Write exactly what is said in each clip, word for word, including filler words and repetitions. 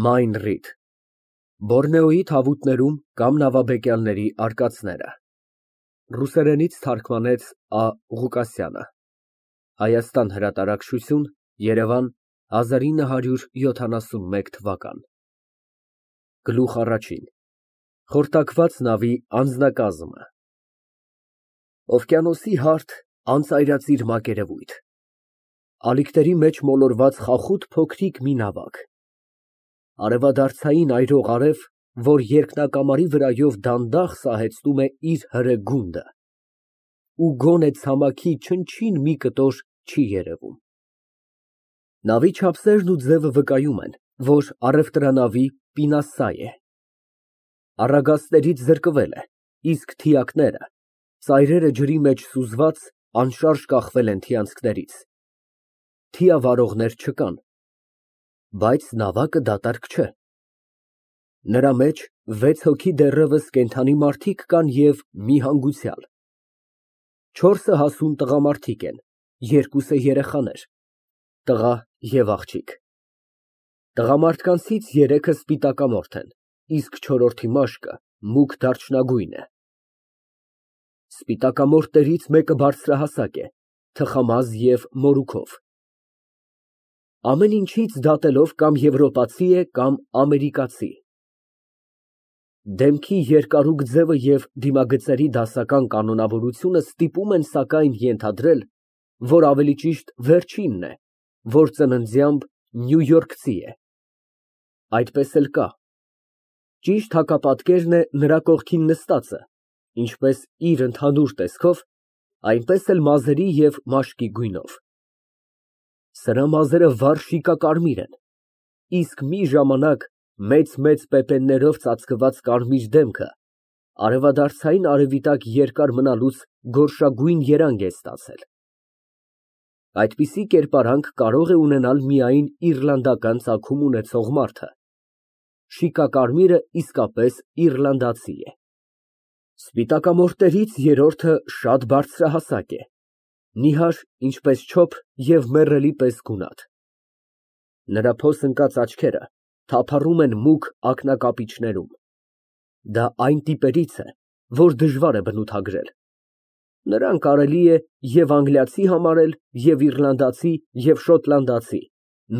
Մայն Ռիդ Բորնեոյի թավուտներում կամ նավաբեկյալների արկածները Ռուսերենից թարգմանեց Ա. Ղուկասյանը Հայաստան հրատարակչություն, Երևան հազար ինը հարյուր յոթանասունմեկ թվական Գլուխ առաջին Խորտակված նավի անձնակազմը Օվկիանոսի հարթ, անծայրածիր մակերևույթ Ալիքների մեջ մոլորված խախուտ փոքրիկ մի նավակ Արևադարձային այրող արև, որ երկնակամարի վրայով դանդաղ սահեցնում է իր հրե գունդը, ու գոնե ցամաքի չնչին մի կտոր չի երևում։ Նավի չափսերն ու ձևը վկայում են, որ առևտրանավի պինասայ է։ Առագաստներից զրկվել է, իսկ թիակները, ծայրերը ջրի մեջ սուզված, անշարժ կախվել են թիանցքներից։ Թիավարողներ չկան, բայց նավակը դատարկ չէ։ Նրա մեջ վեց հոգի դեռևս կենդանի մարդիկ կան և մի հանգուցյալ։ Չորսը հասուն տղամարդիկ են, երկուսը երեխաներ, տղա և աղջիկ։ Տղամարդկանցից երեքը սպիտակամորթ են, իսկ չորրորդի մաշկը մուգ դարչնագույն է։ Սպիտակամորթներից մեկը բարձրահասակ է, թխամազ և մորուքով։ Ամեն ինչից դատելով կամ եվրոպացի է, կամ ամերիկացի։ Դեմքի երկարուկ ձևը և դիմագծերի դասական կանոնավորությունը ստիպում են սակայն ենթադրել, որ ավելի ճիշտ վերջինն է, որ ծննդյամբ նյույորքցի է։ Այդպես էլ կա։ Ճիշտ հակապատկերն է նրա կողքին նստածը, ինչպես իր ընդհանուր տեսքով, այնպես էլ մազերի և մաշկի գույնով։ Սրա մազերը վառ շիկակարմիր են, իսկ մի ժամանակ մեծ֊մեծ պեպեններով ծածկված կարմիր դեմքը արևադարձային արևի տակ երկար մնալուց գորշագույն երանգ է ստացել։ Այդպիսի կերպարանք կարող է ունենալ միայն իռլանդական ծագում ունեցող մարդը։ Շիկակարմիրը իսկապես իռլանդացի է։ Սպիտակամորթներից երրորդը շատ բարձրահասակ է, նիհար, ինչպես չոփ և մեռելի պես գունատ։ Նրա փոս ընկած աչքերը թափառում են մուգ ակնակապիճներում։ Դա այն տիպերից է, որ դժվար է բնութագրել։ Նրան կարելի է և անգլիացի համարել, և իռլանդացի, և շոտլանդացի,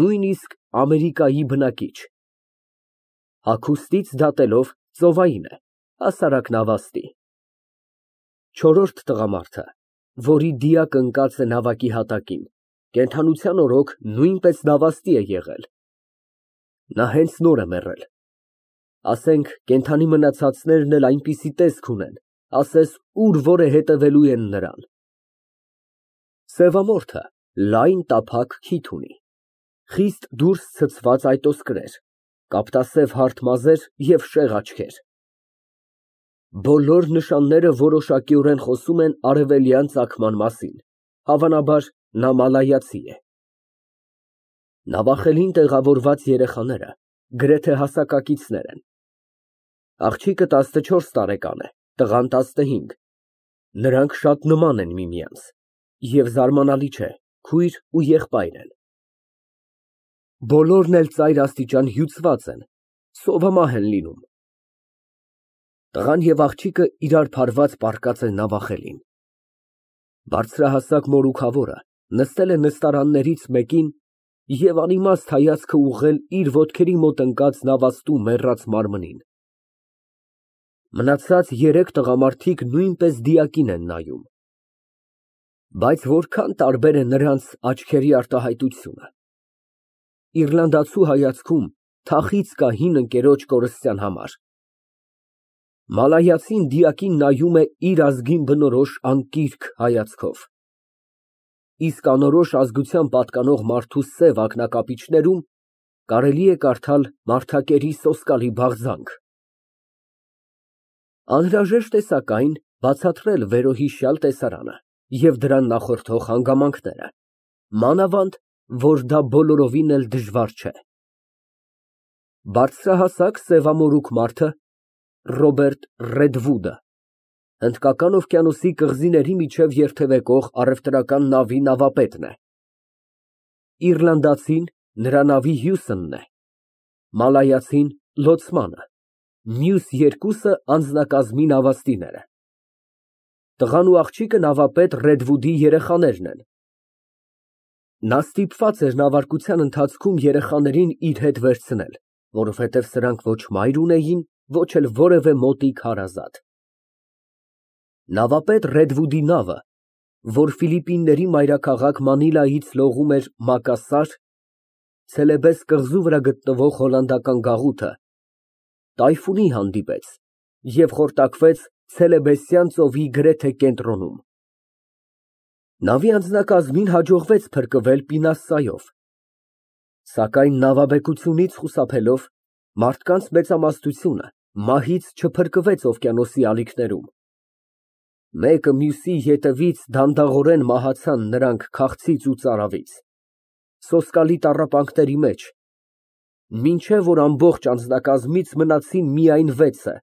նույնիսկ Ամերիկայի բնակիչ։ Հագուստից դատելով ծովային է, հասարակ նավաստի։ Չորրորդ տղամարդը, որի դիակը ընկած է նավակի հատակին, կենդանության օրոք նույնպես նավաստի է եղել։ Նա հենց նոր է մեռել։ Ասենք կենդանի մնացածներն էլ այնպիսի տեսք ունեն, ասես ուր որ է հետևելու են նրան։ Սևամորթը լայն տափակ քիթ ունի, խիստ դուրս ցցված այտոսկրեր, կապտասև հարթ մազեր և շեղ աչքեր։ Բոլոր նշանները որոշակիորեն խոսում են արևելյան ծագման մասին, հավանաբար նա մալայացի է։ Նավախելին տեղավորված երեխաները գրեթե հասակակիցներ են։ Աղջիկը տասնչորս տարեկան է, տղան տասնհինգ, նրանք շատ նման են միմյանց, և զարմանալի չէ, քույր ու եղբայր են։ Բոլորն էլ ծայր աստիճան հյուծված են, սովամահ են լինում։ Տղան և աղջիկը իրար փարված պառկած են նավախելին։ Բարձրահասակ մորուքավորը նստել է նստարաններից մեկին և անիմաստ հայացքը ուղղել իր ոտքերի մոտ ընկած նավաստու մեռած մարմնին։ Մնացած երեք տղամարդիկ նույնպես դիակին են նայում։ Բայց որքան տարբեր է նրանց աչքերի արտահայտությունը։ Իռլանդացու հայացքում թախիծ կա հին ընկերոջ կորստյան համար։ Մալայացին դիակին նայում է իր ազգին բնորոշ անկիրք հայացքով։ Իսկ անորոշ ազգության պատկանող մարդու սև ակնակապիճներում կարելի է կարդալ մարդակերի սոսկալի բաղձանք։ Անհրաժեշտ է սակայն բացատրել վերոհիշյալ տեսարանը և դրան նախորդող հանգամանքները, մանավանդ, որ դա բոլորովին էլ դժվար չէ։ Բարձրահասակ սևամորուք մարդը Ռոբերտ Ռեդվուդը, Հնդկական օվկիանոսի կղզիների միջև երթևեկող առևտրական նավի նավապետն է։ Իռլանդացին նրա նավի հյուսնն է։ մալայացին լոցմանը, մյուս երկուսը անձնակազմի նավաստիները։ Տղան ու աղջիկը նավապետ Ռեդվուդի երեխաներն են։ Նա ստիպված էր նավարկության ընթացքում երեխաներին իր հետ վերցնել, որովհետև սրանք ոչ մայր ունեին, ոչ էլ որևէ մոտիկ հարազատ։ Նավապետ Ռեդվուդի նավը, որ Ֆիլիպինների մայրաքաղաք Մանիլայից լողում էր Մակասար, Ցելեբես կղզու վրա գտնվող հոլանդական գաղութը, տայֆունի հանդիպեց և խորտակվեց Ցելեբեսյան ծովի գրեթե կենտրոնում։ Նավի անձնակազմին հաջողվեց փրկվել Պինասայով, սակայն նավաբեկությունից խուսափելով մարդկանց մեծամասնությունը մահից չփրկվեց օվկիանոսի ալիքներում։ Մեկը մյուսի ետևից դանդաղորեն մահացան նրանք քաղցից ու ծարավից, սոսկալի տառապանքների մեջ, մինչև որ ամբողջ անձնակազմից մնացին միայն վեցը,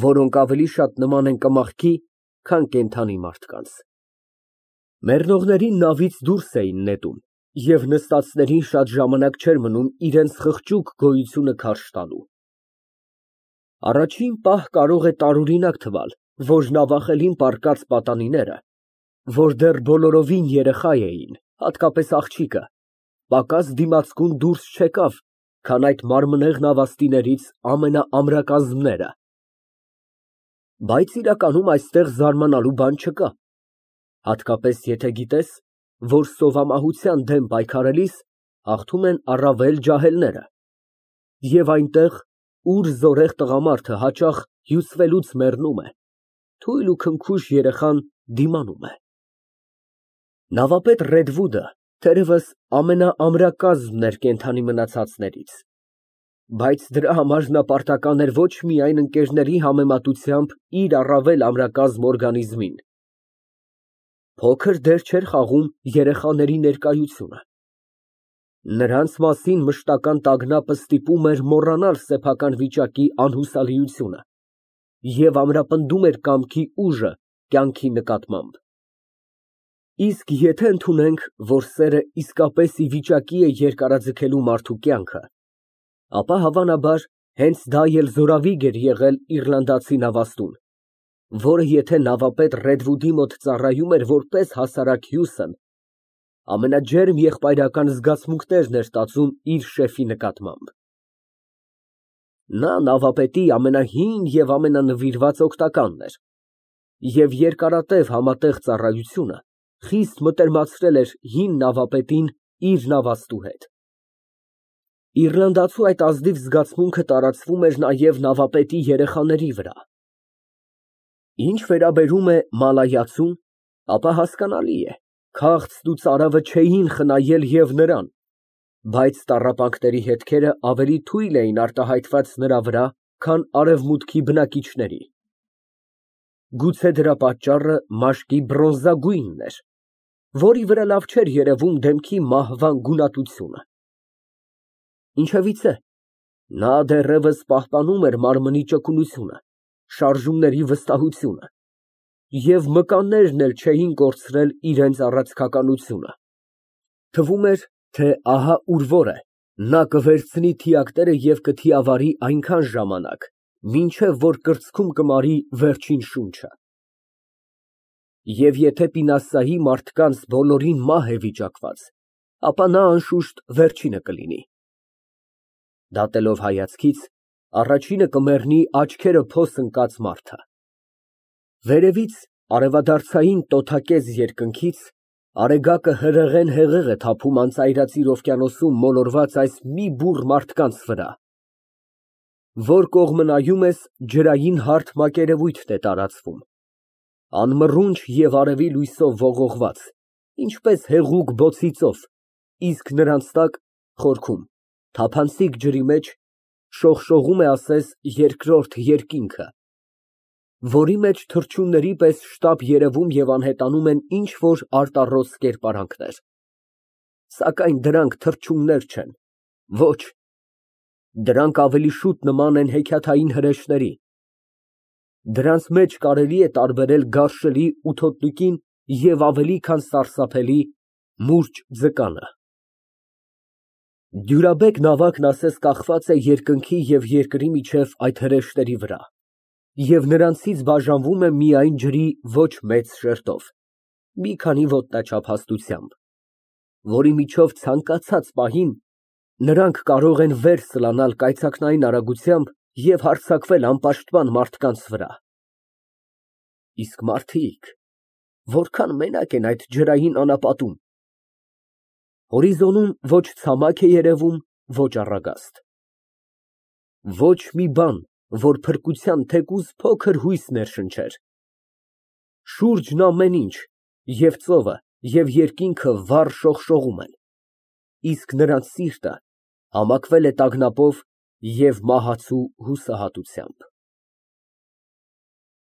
որոնք ավելի շատ նման են կմախքի, քան կենդանի մարդկանց։ Մեռնողներին նավից դուրս էին նետում, և նստածներին շատ ժամանակ չէր մնում իրենց խղճուկ գոյությունը քարշ տալու։ Առաջին պահ կարող է տարօրինակ թվալ, որ նավախելին պառկած պատանիները, որ դեռ բոլորովին երեխա էին, հատկապես աղջիկը, պակաս դիմացկուն դուրս չեկավ, քան այդ մարմնեղ նավաստիներից ամենաամրակազմները։ Բայց իրականում այստեղ զարմանալու բան չկա, հատկապես եթե գիտես, որ սովամահության դեմ պայքարելիս հաղթում են առավել ջահելները, և այնտեղ, ուր զորեղ տղամարդը հաճախ հյուծվելուց մեռնում է, թույլ ու քնքուշ երեխան դիմանում է։ Նավապետ Ռեդվուդը թերևս ամենաամրակազմն էր կենդանի մնացածներից, բայց դրա համար նա պարտական էր ոչ միայն ընկերների համեմատությամբ իր առավել ամրակազմ օրգանիզմին, փոքր դեր չէր խաղում երեխաների ներկայությունը։ Նրանց մասին մշտական տագնապը ստիպում էր մոռանալ սեփական վիճակի անհուսալիությունը և ամրապնդում էր կամքի ուժը կյանքի նկատմամբ։ Իսկ եթե ընդունենք, որ սերը իսկապես ի վիճակի է երկարաձգելու մարդու կյանքը, ապա հավանաբար հենց դա էլ զորավիգ էր եղել իռլանդացի նավաստուն, որը եթե նավապետ Ռեդվուդի մոտ ծառայում էր որպես հասարակ հյուսն, ամենաջերմ եղբայրական զգացմունքներն էր տածում իր շեֆի նկատմամբ։ Նա նավապետի ամենահին և ամենանվիրված օգնականն էր, և երկարատև համատեղ ծառայությունը խիստ մտերմացրել էր հին նավապետին իր նավաստու հետ։ Իռլանդացու այդ ազնիվ զգացմունքը տարածվում էր նաև նավապետի երեխաների վրա։ Ինչ վերաբերում է մալայացուն, ապա հասկանալի է, քաղցն ու ծարավը չէին խնայել և նրան, բայց տառապանքների հետքերը ավելի թույլ էին արտահայտված նրա վրա, քան արևմուտքի բնակիչների։ Գուցե դրա պատճառը մաշկի բրոնզագույնն էր, որի վրա լավ չէր երևում դեմքի մահվան գունատությունը։ Ինչևիցե, նա դեռևս պահպանում էր մարմնի ճկունությունը, շարժումների վստահությունը, և մկաններն էլ չէին կորցրել իրենց առաձգականությունը։ Թվում էր, թե ահա ուր որ է, նա կվերցնի թիակները և կթիավարի այնքան ժամանակ, մինչև որ կրծքում կմարի վերջին շունչը։ Եվ եթե Պինասայի մարդկանց բոլորին մահ է վիճակված, ապա նա անշուշտ վերջինը կլինի։ Դատելով հայացքից, առաջինը կմեռնի աչքերը փոս ընկած մարդը։ Վերևից, արևադարձային տոթակեզ երկնքից, արեգակը հրեղեն հեղեղ է թափում անծայրածիր օվկիանոսում մոլորված այս մի բուռ մարդկանց վրա։ Որ կողմը նայում ես, ջրային հարթ մակերևույթ է տարածվում, անմռունչ և արևի լույսով ողողված, ինչպես հեղուկ բոցի ծով, իսկ նրանց տակ խորքում, թափանցիկ ջրի մեջ, շողշողում է ասես երկրորդ երկինքը, որի մեջ թռչունների պես շտապ երևում և անհետանում են ինչ֊որ արտառոս կերպարանքներ, սակայն դրանք թռչուններ չեն, ոչ, դրանք ավելի շուտ նման են հեքիաթային հրեշների, դրանց մեջ կարելի է տարբերել գարշելի ու թոթնիկին և ավելի քան սարսափելի՝ մուրճ ձկանը։ Դյուրաբեկ նավակն ասես կախված է երկնքի և երկրի միջև այդ հրեշտերի վրա, և նրանցից բաժանվում է միայն ջրի ոչ մեծ շերտով, մի քանի ոտնաչափ հաստությամբ, որի միջով ցանկացած պահին նրանք կարող են վեր սլանալ կայծակնային արագությամբ և հարձակվել անպաշտպան մարդկանց վրա։ Իսկ մարդիկ որքան մենակ են այդ ջրային անապատում, հորիզոնում ոչ ցամաք է երևում, ոչ առագաստ, ոչ մի բան, որ փրկության թեկուզ փոքր հույս ներշնչեր, շուրջն ամեն ինչ, և ծովը, և երկինքը վառ շողշողում են, իսկ նրանց սիրտը համակվել է տագնապով և մահացու հուսահատությամբ։